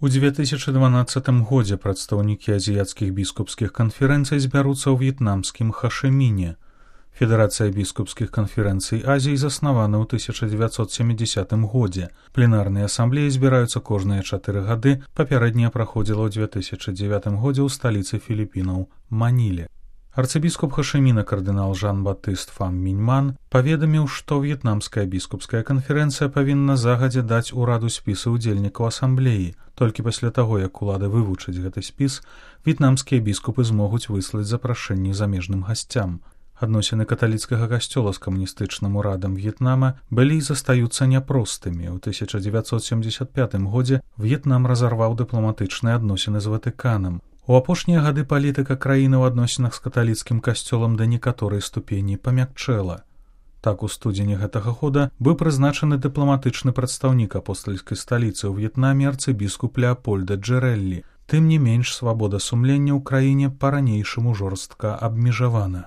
У 2012 годзе прадстаўнікі азіяцкіх біскупскіх канферэнцый збяруцца ў в'етнамскім Хашыміне. Федэрацыя біскупскіх канферэнцый Азіі заснавана ў 1970 годзе. Пленарныя асамблеі збіраюцца кожныя 4 гады, папярэдняя праходзіла ў 2009 годзе ў сталіцы Філіпінаў Маніле. Арцыбіскуп Хашыміна кардынал Жан-Батыст Фам Міньман паведаміў, што в'етнамская біскупская канферэнцыя павінна загадзя даць ураду спісы ўдзельнікаў асамблеі. Толькі пасля таго, як улады вывучаць гэты спіс, в'етнамскія біскупы змогуць выслаць запрашэнні замежным гасцям. Адносіны каталіцкага касцёла з камуністычным урадам В'етнама былі і застаюцца няпростымі. У 1975 годзе В'етнам разарваў дыпламатычныя адносіны з Ватыканам. У апошнія гады палітыка краіны ў адносінах з каталіцкім касцёлам да некаторай ступені памякчэла. Так, у студзені гэтага года быў прызначаны дыпламатычны прадстаўнік апостальскай сталіцы ў В'етнаме арцыбіскуп Леапольда Джэрэллі. Тым не менш, свабода сумлення ў краіне па-ранейшаму жорстка абмежавана.